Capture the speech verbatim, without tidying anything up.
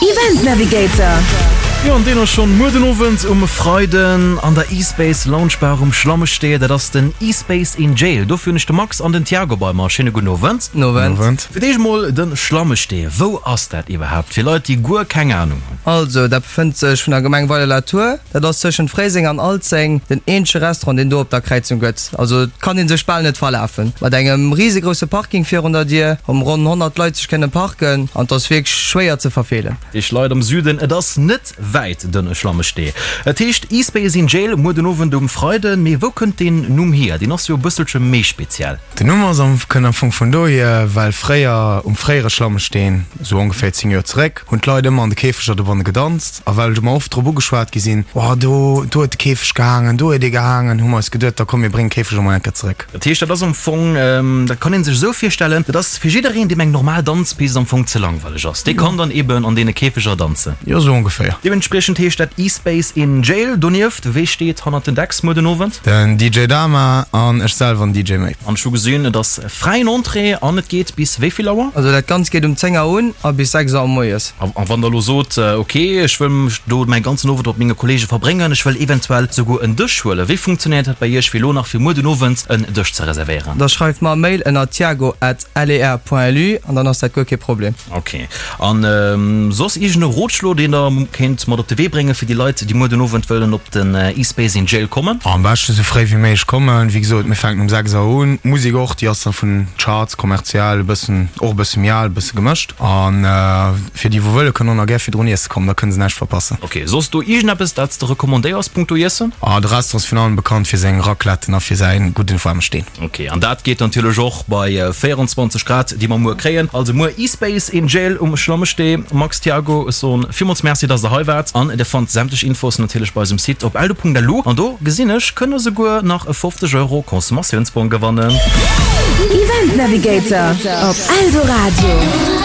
Event Navigator. Jo, an deen ass schonn muer den Owend um Freiden an der E-Space Lounge Bar um Schlammestee. Dat ass den E-Space in Jail. Dofir hunn ech de Max an den Thiago bei mer. Schéine gudden Owend. Gudden Owend. Fir d'éischt mol de Schlammestee. Wou ass dat iwwerhaapt? Fir Leit, déi guer keng Anung hunn. Also, dat befënnt sech vun der Gemeng Weiler-la-Tour. Dat ass tëschent Fréiseng an Alzeng, den eenzege Restaurant, deen do op der Kräizung gëtt. Also, et kann ee sech bal net verlafen. Mat engem risegrousse Parking virun der Dier, wou ronn honnert Leit sech kënne parken an et ass wierklech schwéier ze verfeelen. Iech Leit am Süden, et ass net wäit, den Schlammestee. Et heescht E-Space in Jail, muer den Owend um Freiden. Mee wou kënnt deen Numm hier? Deen ass jo e bësselche méi speziell. Den Numm ass am kënnt am Fong vun dohier, well fréier um fréiere Schlammesteen, esou ongeféier zéng Joer zeréck, hunn d'Leit ëmmer an de Käfeger dobanne gedanzt. A well ech ëmmer oft drop ugeschwat gi sinn, Oh, do, do huet de Käfeg gehaangen, do huet ee gehaangen, hu mer eis geduet, da komm mir bréngen d'Käfeger mol eng Kéier zeréck. Dat heescht, dat ass am Fong, dat kann ee sech esou virstellen, dat ass fir jiddereen, deem eng normal Danzpist am Fong ze langweileg ass, dee kann dann eben an deene Käfeger danzen. Jo, esou ongeféier. Deementspriechend heescht dat E-Space in Jail. Donieft, wee steet hannert den Decks muer den Owend? Den D J Dama an ech selwer an D J May. An ech hu gesinn, et ass fräien Entrée an et geet bis wéi vill Auer? Also dat Ganzt geet um zéng Auer un a bis sechs Auer moies. A wann der elo sot, ok, ech wëll mech do mäi ganzen Owend mat menge Kollege verbréngen, ech wëll eventuell souguer en Dësch huelen, wéi funktionéiert dat bei iech, fir elo nach fir muer den Owend en Dësch ze reservéieren? Da schreift mer e Mail ënner tiago at ler point lu an dann ass dat guer kee Problem. Ok. An soss iergend e Rotschlo, deen der kéint mat op de Wee bréngen, fir déi Leit, déi muer den Owend wëllen op den E-Space in Jail kommen? Am beschte sou fréi wéi méiglech kommen. Wéi gesot, mir fänken um sechs Auer un. D'Musek och, déi ass da vun Charts, kommerziell, e bëssen, och e bësse méi al, e bësse gemëscht. A fir déi wou wëlle kënnen och nach gär virdrun iesse kommen, da kënne se näischt verpassen. Ok, soss do iergendeppes dat s de recommandéiers punkto Iessen? Ah, de Restaurant ass virun allem bekannt fir seng Racletten a fir säi gudden waarme Steen. Ok, an dat geet natierlech och bei véierundzwanzeg Grad, déi mer muer kréien. Also muer E-Space in Jail um Schlammestee. Max, Thiago, ech soen villmools Merci, dass der hei waart. An dir fannt sämtlech Infos natierlech bei eisem Site op eldo Punkt lu. An do gesinn ech, kënnt der souguer nach e fofzeg Euro Consommatiounsbong gewannen. Event Navigator op Eldoradio.